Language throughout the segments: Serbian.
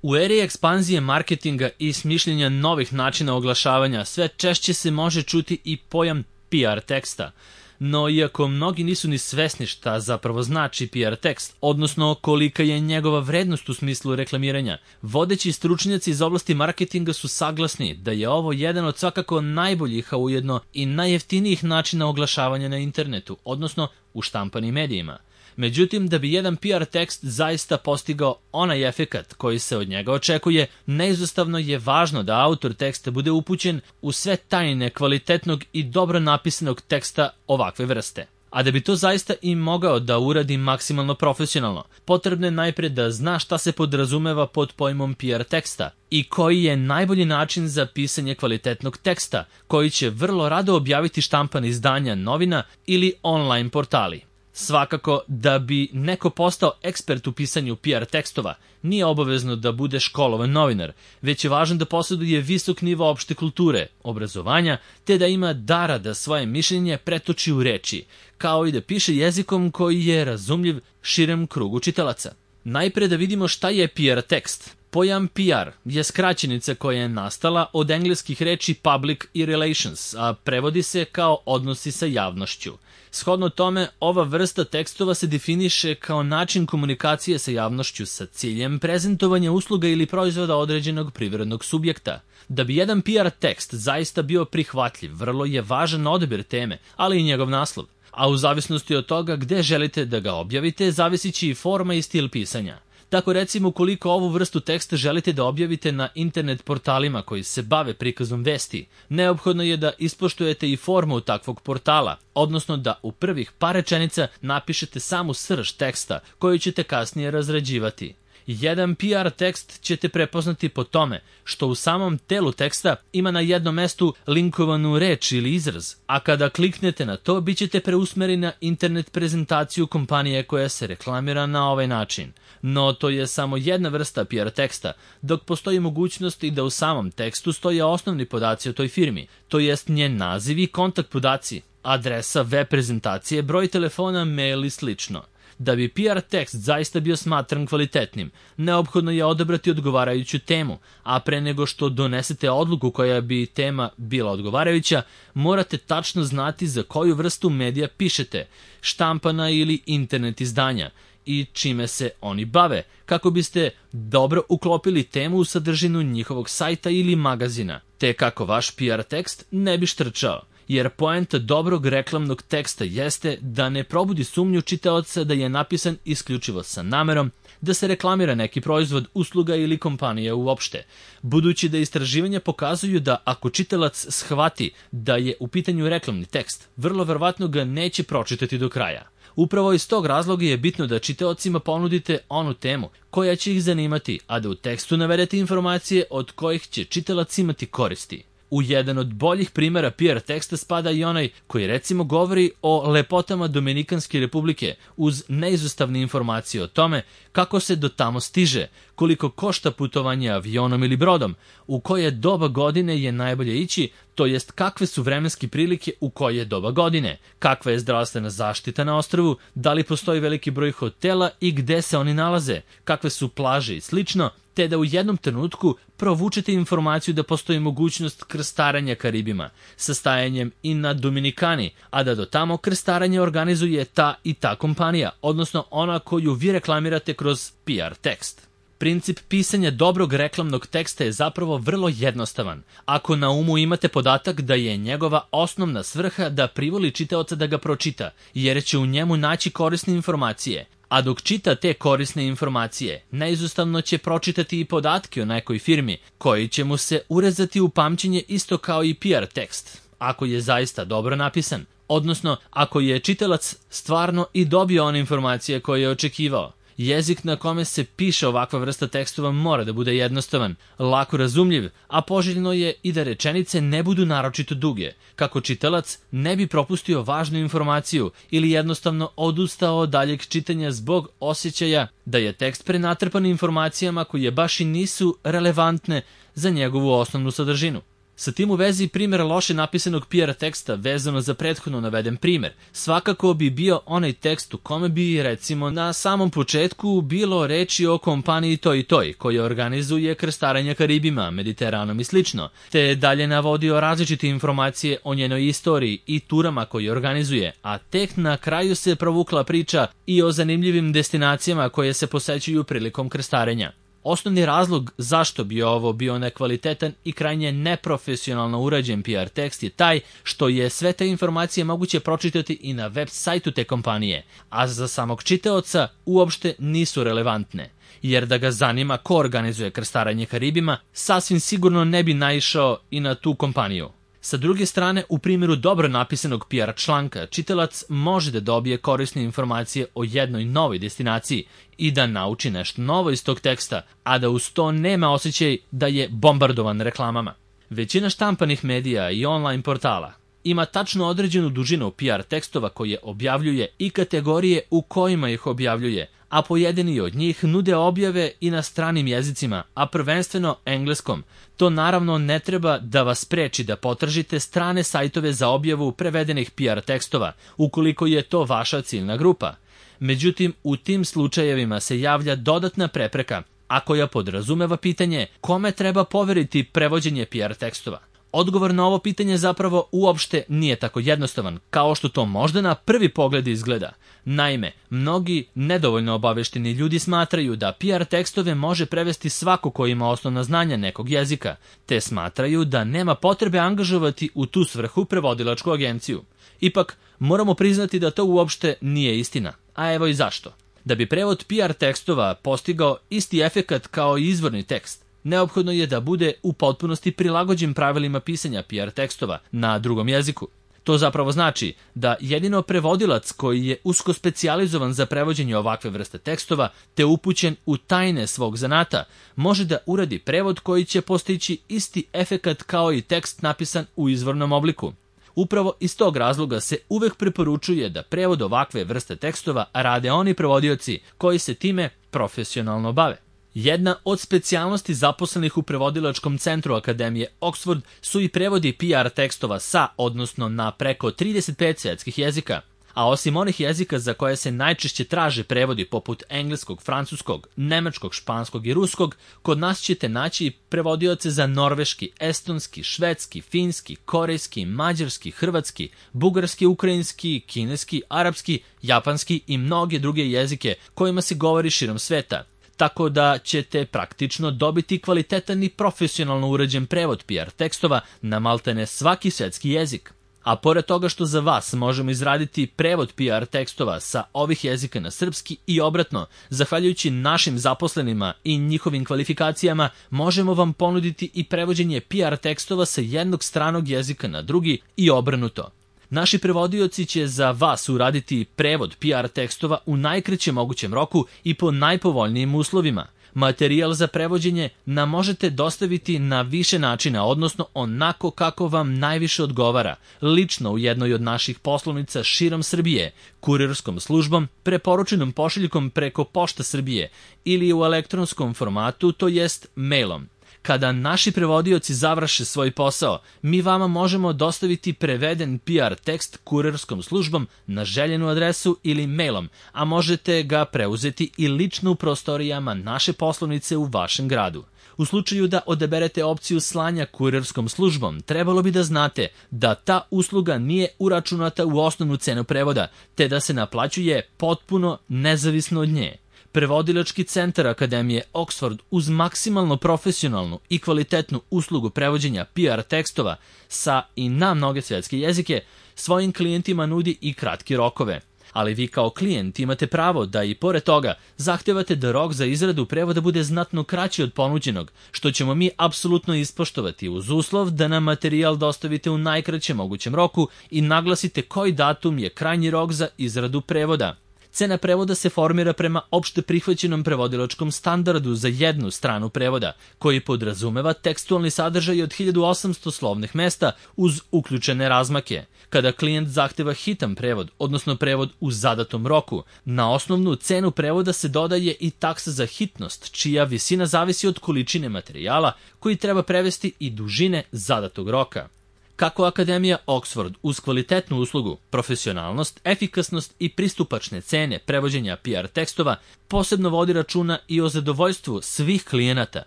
U eri ekspanzije marketinga i smišljenja novih načina oglašavanja sve češće se može čuti i pojam PR teksta. No, iako mnogi nisu ni svesni šta zapravo znači PR tekst, odnosno kolika je njegova vrednost u smislu reklamiranja, vodeći stručnjaci iz oblasti marketinga su saglasni da je ovo jedan od svakako najboljih, a ujedno i najjeftinijih načina oglašavanja na internetu, odnosno u štampanim medijima. Međutim, da bi jedan PR tekst zaista postigao onaj efekat koji se od njega očekuje, neizostavno je važno da autor teksta bude upućen u sve tajne kvalitetnog i dobro napisanog teksta ovakve vrste. A da bi to zaista i mogao da uradi maksimalno profesionalno, potrebno je najpre da zna šta se podrazumeva pod pojmom PR teksta i koji je najbolji način za pisanje kvalitetnog teksta, koji će vrlo rado objaviti štampana izdanja novina ili online portali. Svakako, da bi neko postao ekspert u pisanju PR tekstova, nije obavezno da bude školovan novinar, već je važno da posjeduje visok nivo opšte kulture, obrazovanja, te da ima dara da svoje mišljenje pretoči u reči, kao i da piše jezikom koji je razumljiv širem krugu čitalaca. Najpre da vidimo šta je PR tekst. Pojam PR je skraćenica koja je nastala od engleskih reči public i relations, a prevodi se kao odnosi sa javnošću. Shodno tome, ova vrsta tekstova se definiše kao način komunikacije sa javnošću sa ciljem prezentovanja usluga ili proizvoda određenog privrednog subjekta. Da bi jedan PR tekst zaista bio prihvatljiv, vrlo je važan odabir teme, ali i njegov naslov. A u zavisnosti od toga gde želite da ga objavite, zavisiće i forma i stil pisanja. Tako recimo, ukoliko ovu vrstu teksta želite da objavite na internet portalima koji se bave prikazom vesti, neophodno je da ispoštujete i formu takvog portala, odnosno da u prvih par rečenica napišete samu srž teksta koju ćete kasnije razrađivati. Jedan PR tekst ćete prepoznati po tome što u samom telu teksta ima na jednom mestu linkovanu reč ili izraz, a kada kliknete na to, bit ćete preusmereni na internet prezentaciju kompanije koja se reklamira na ovaj način. No, to je samo jedna vrsta PR teksta, dok postoji mogućnost i da u samom tekstu stoje osnovni podaci o toj firmi, to jest njen naziv i kontakt podaci, adresa, web prezentacije, broj telefona, mail i slično. Da bi PR tekst zaista bio smatran kvalitetnim, neophodno je odabrati odgovarajuću temu, a pre nego što donesete odluku koja bi tema bila odgovarajuća, morate tačno znati za koju vrstu medija pišete, štampana ili internet izdanja, i čime se oni bave, kako biste dobro uklopili temu u sadržinu njihovog sajta ili magazina, te kako vaš PR tekst ne bi štrčao. Jer poenta dobrog reklamnog teksta jeste da ne probudi sumnju čitaoca da je napisan isključivo sa namerom da se reklamira neki proizvod, usluga ili kompanija uopšte, budući da istraživanja pokazuju da ako čitalac shvati da je u pitanju reklamni tekst, vrlo verovatno ga neće pročitati do kraja. Upravo iz tog razloga je bitno da čitaocima ponudite onu temu koja će ih zanimati, a da u tekstu navedete informacije od kojih će čitalac imati koristi. U jedan od boljih primjera PR teksta spada i onaj koji recimo govori o lepotama Dominikanske republike uz neizostavne informacije o tome kako se do tamo stiže, koliko košta putovanje avionom ili brodom, u koje doba godine je najbolje ići, to jest kakve su vremenske prilike u koje doba godine, kakva je zdravstvena zaštita na ostrvu, da li postoji veliki broj hotela i gde se oni nalaze, kakve su plaže i slično, te da u jednom trenutku provučete informaciju da postoji mogućnost krstarenja Karibima, sa stajanjem i na Dominikani, a da do tamo krstarenje organizuje ta i ta kompanija, odnosno ona koju vi reklamirate kroz PR tekst. Princip pisanja dobrog reklamnog teksta je zapravo vrlo jednostavan, ako na umu imate podatak da je njegova osnovna svrha da privoli čitaoca da ga pročita, jer će u njemu naći korisne informacije. A dok čita te korisne informacije, neizostavno će pročitati i podatke o nekoj firmi, koji će mu se urezati u pamćenje isto kao i PR tekst, ako je zaista dobro napisan, odnosno ako je čitalac stvarno i dobio one informacije koje je očekivao. Jezik na kome se piše ovakva vrsta tekstova mora da bude jednostavan, lako razumljiv, a poželjno je i da rečenice ne budu naročito duge, kako čitalac ne bi propustio važnu informaciju ili jednostavno odustao od daljeg čitanja zbog osjećaja da je tekst prenatrpan informacijama koje baš i nisu relevantne za njegovu osnovnu sadržinu. Sa tim u vezi primjer loše napisanog PR teksta vezano za prethodno naveden primjer svakako bi bio onaj tekst u kome bi, recimo, na samom početku bilo reči o kompaniji toj i toj, koja organizuje krstarenja Karibima, Mediteranom i slično, te dalje navodio različite informacije o njenoj istoriji i turama koje organizuje, a tek na kraju se provukla priča i o zanimljivim destinacijama koje se posećuju prilikom krstarenja. Osnovni razlog zašto bi ovo bio nekvalitetan i krajnje neprofesionalno urađen PR tekst je taj što je sve te informacije moguće pročitati i na web sajtu te kompanije, a za samog čitaoca uopšte nisu relevantne, jer da ga zanima ko organizuje krstarenje Karibima, sasvim sigurno ne bi naišao i na tu kompaniju. Sa druge strane, u primjeru dobro napisanog PR članka, čitalac može da dobije korisne informacije o jednoj novoj destinaciji i da nauči nešto novo iz tog teksta, a da uz to nema osjećaj da je bombardovan reklamama. Većina štampanih medija i online portala ima tačno određenu dužinu PR tekstova koje objavljuje i kategorije u kojima ih objavljuje, a pojedini od njih nude objave i na stranim jezicima, a prvenstveno engleskom. To naravno ne treba da vas spreči da potražite strane sajtove za objavu prevedenih PR tekstova, ukoliko je to vaša ciljna grupa. Međutim, u tim slučajevima se javlja dodatna prepreka, a koja podrazumeva pitanje kome treba poveriti prevođenje PR tekstova. Odgovor na ovo pitanje zapravo uopšte nije tako jednostavan, kao što to možda na prvi pogled izgleda. Naime, mnogi nedovoljno obavešteni ljudi smatraju da PR tekstove može prevesti svako ko ima osnovna znanja nekog jezika, te smatraju da nema potrebe angažovati u tu svrhu prevodilačku agenciju. Ipak, moramo priznati da to uopšte nije istina, a evo i zašto. Da bi prevod PR tekstova postigao isti efekat kao i izvorni tekst, neophodno je da bude u potpunosti prilagođen pravilima pisanja PR tekstova na drugom jeziku. To zapravo znači da jedino prevodilac koji je usko specijalizovan za prevođenje ovakve vrste tekstova te upućen u tajne svog zanata može da uradi prevod koji će postići isti efekat kao i tekst napisan u izvornom obliku. Upravo iz tog razloga se uvek preporučuje da prevod ovakve vrste tekstova rade oni prevodioci koji se time profesionalno bave. Jedna od specijalnosti zaposlenih u prevodilačkom centru Akademije Oxford su i prevodi PR tekstova sa, odnosno na preko 35 svetskih jezika. A osim onih jezika za koje se najčešće traže prevodi poput engleskog, francuskog, nemačkog, španskog i ruskog, kod nas ćete naći prevodioce za norveški, estonski, švedski, finski, korejski, mađarski, hrvatski, bugarski, ukrajinski, kineski, arapski, japanski i mnoge druge jezike kojima se govori širom sveta. Tako da ćete praktično dobiti kvalitetan i profesionalno urađen prevod PR tekstova na maltene svaki svetski jezik. A pored toga što za vas možemo izraditi prevod PR tekstova sa ovih jezika na srpski i obratno, zahvaljujući našim zaposlenima i njihovim kvalifikacijama, možemo vam ponuditi i prevođenje PR tekstova sa jednog stranog jezika na drugi i obrnuto. Naši prevodioci će za vas uraditi prevod PR tekstova u najkraćem mogućem roku i po najpovoljnijim uslovima. Materijal za prevođenje nam možete dostaviti na više načina, odnosno onako kako vam najviše odgovara, lično u jednoj od naših poslovnica širom Srbije, kurirskom službom, preporučenom pošiljkom preko Pošta Srbije ili u elektronskom formatu, to jest mailom. Kada naši prevodioci završe svoj posao, mi vama možemo dostaviti preveden PR tekst kurirskom službom na željenu adresu ili mailom, a možete ga preuzeti i lično u prostorijama naše poslovnice u vašem gradu. U slučaju da odaberete opciju slanja kurirskom službom, trebalo bi da znate da ta usluga nije uračunata u osnovnu cenu prevoda, te da se naplaćuje potpuno nezavisno od nje. Prevodilački centar Akademije Oxford uz maksimalno profesionalnu i kvalitetnu uslugu prevođenja PR tekstova sa i na mnoge svjetske jezike svojim klijentima nudi i kratke rokove. Ali vi kao klijent imate pravo da i pored toga zahtevate da rok za izradu prevoda bude znatno kraći od ponuđenog, što ćemo mi apsolutno ispoštovati uz uslov da nam materijal dostavite u najkraćem mogućem roku i naglasite koji datum je krajnji rok za izradu prevoda. Cena prevoda se formira prema opšte prihvaćenom prevodilačkom standardu za jednu stranu prevoda, koji podrazumeva tekstualni sadržaj od 1800 slovnih mesta uz uključene razmake. Kada klijent zahteva hitan prevod, odnosno prevod u zadatom roku, na osnovnu cenu prevoda se dodaje i taksa za hitnost, čija visina zavisi od količine materijala koji treba prevesti i dužine zadatog roka. Kako Akademija Oxford uz kvalitetnu uslugu, profesionalnost, efikasnost i pristupačne cene prevođenja PR tekstova posebno vodi računa i o zadovoljstvu svih klijenata,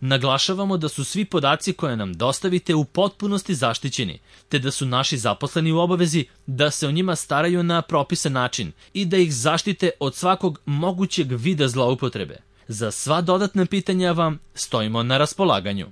naglašavamo da su svi podaci koje nam dostavite u potpunosti zaštićeni, te da su naši zaposleni u obavezi da se o njima staraju na propisan način i da ih zaštite od svakog mogućeg vida zloupotrebe. Za sva dodatna pitanja vam stojimo na raspolaganju.